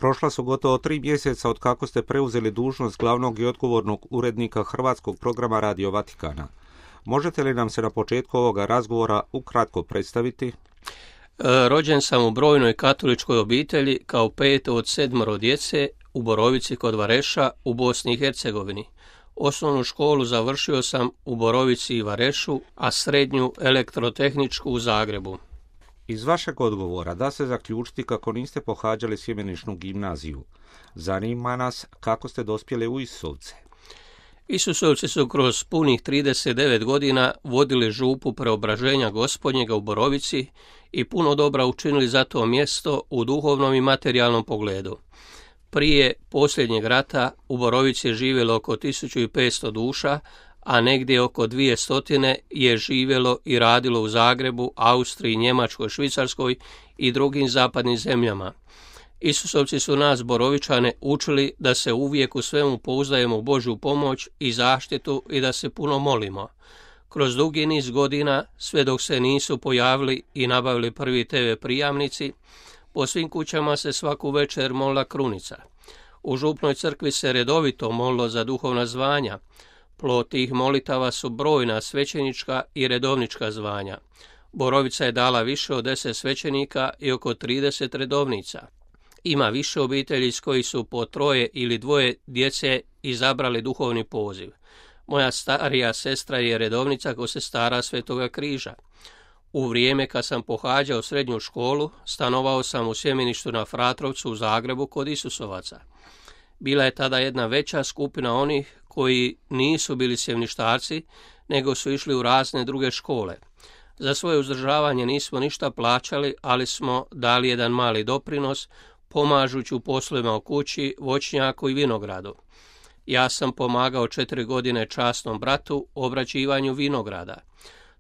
Prošla su gotovo 3 mjeseca od kako ste preuzeli dužnost glavnog i odgovornog urednika hrvatskog programa Radio Vatikana. Možete li nam se na početku ovoga razgovora ukratko predstaviti? Rođen sam u brojnoj katoličkoj obitelji kao 5. od 7 djece u Borovici kod Vareša u Bosni i Hercegovini. Osnovnu školu završio sam u Borovici i Varešu, a srednju elektrotehničku u Zagrebu. Iz vašeg odgovora da se zaključiti kako niste pohađali sjemeničnu gimnaziju. Zanima nas kako ste dospjeli u Isusovce. Isusovci su kroz punih 39 godina vodili župu preobraženja Gospodnjega u Borovici i puno dobra učinili za to mjesto u duhovnom i materijalnom pogledu. Prije posljednjeg rata u Borovici je živjelo oko 1500 duša, a negdje oko 200 je živjelo i radilo u Zagrebu, Austriji, Njemačkoj, Švicarskoj i drugim zapadnim zemljama. Isusovci su nas, Borovičane, učili da se uvijek u svemu pouzdajemo u Božju pomoć i zaštitu i da se puno molimo. Kroz dugi niz godina, sve dok se nisu pojavili i nabavili prvi TV prijamnici, po svim kućama se svaku večer molila krunica. U župnoj crkvi se redovito molilo za duhovna zvanja. Plod tih molitava su brojna svećenička i redovnička zvanja. Borovica je dala više od 10 svećenika i oko 30 redovnica. Ima više obitelji s koji su po 3 ili 2 djece izabrali duhovni poziv. Moja starija sestra je redovnica ko se stara Svetoga križa. U vrijeme kad sam pohađao srednju školu, stanovao sam u sjemeništu na Fratrovcu u Zagrebu kod Isusovaca. Bila je tada jedna veća skupina onih koji nisu bili sjemništarci, nego su išli u razne druge škole. Za svoje uzdržavanje nismo ništa plaćali, ali smo dali jedan mali doprinos, pomažući u poslovima u kući, voćnjaku i vinogradu. Ja sam pomagao 4 godine časnom bratu u obrađivanju vinograda.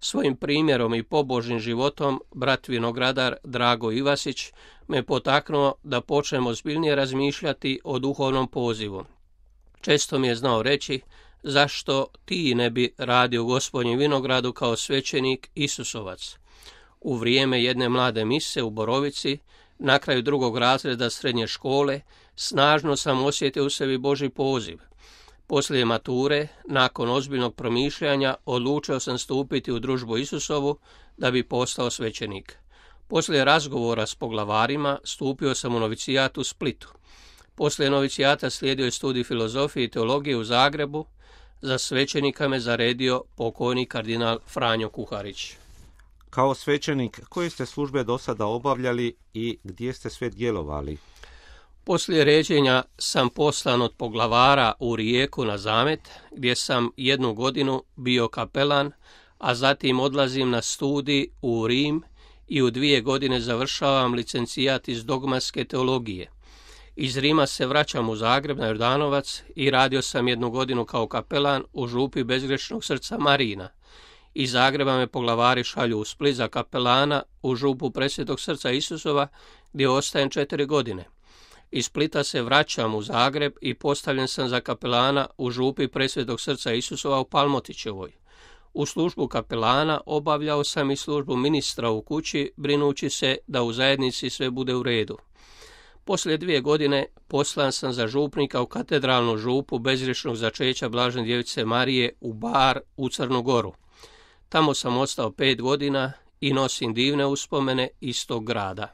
Svojim primjerom i pobožnim životom brat vinogradar Drago Ivasić me potaknuo da počnem ozbiljnije razmišljati o duhovnom pozivu. Često mi je znao reći zašto ti ne bi radio u Gospodnjem vinogradu kao svećenik Isusovac. U vrijeme jedne mlade mise u Borovici, na kraju 2. razreda srednje škole, snažno sam osjetio u sebi Božji poziv. Poslije mature, nakon ozbiljnog promišljanja, odlučio sam stupiti u družbu Isusovu da bi postao svećenik. Poslije razgovora s poglavarima stupio sam u novicijat u Splitu. Poslije novicijata slijedio je studij filozofije i teologije u Zagrebu. Za svećenika me zaredio pokojni kardinal Franjo Kuharić. Kao svećenik, koje ste službe do sada obavljali i gdje ste sve djelovali? Poslije ređenja sam poslan od poglavara u Rijeku na Zamet, gdje sam 1 godinu bio kapelan, a zatim odlazim na studij u Rim i u 2 godine završavam licencijat iz dogmatske teologije. Iz Rima se vraćam u Zagreb na Jordanovac i radio sam 1 godinu kao kapelan u župi Bezgrešnog srca Marina. Iz Zagreba me poglavari šalju u Split za kapelana u župu Presvetog srca Isusova, gdje ostajem 4 godine. Iz Splita se vraćam u Zagreb i postavljen sam za kapelana u župi Presvetog srca Isusova u Palmotićevoj. U službu kapelana obavljao sam i službu ministra u kući, brinući se da u zajednici sve bude u redu. Poslije 2 godine poslan sam za župnika u katedralnu župu Bezgrešnog začeća Blažene djevice Marije u Bar u Crnu Goru. Tamo sam ostao 5 godina i nosim divne uspomene iz tog grada.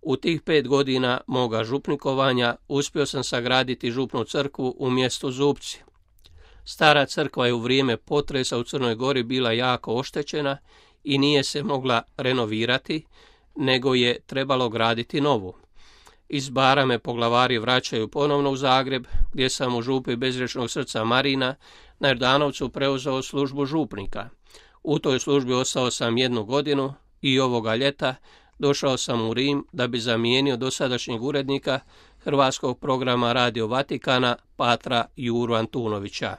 U tih 5 godina moga župnikovanja uspio sam sagraditi župnu crkvu u mjestu Zupci. Stara crkva je u vrijeme potresa u Crnoj Gori bila jako oštećena i nije se mogla renovirati, nego je trebalo graditi novu. Iz Bara me poglavari vraćaju ponovno u Zagreb, gdje sam u župi Bezgrešnog srca Marina na Jordanovcu preuzeo službu župnika. U toj službi ostao sam 1 godinu i ovoga ljeta došao sam u Rim da bi zamijenio dosadašnjeg urednika hrvatskog programa Radio Vatikana, patra Juru Antunovića.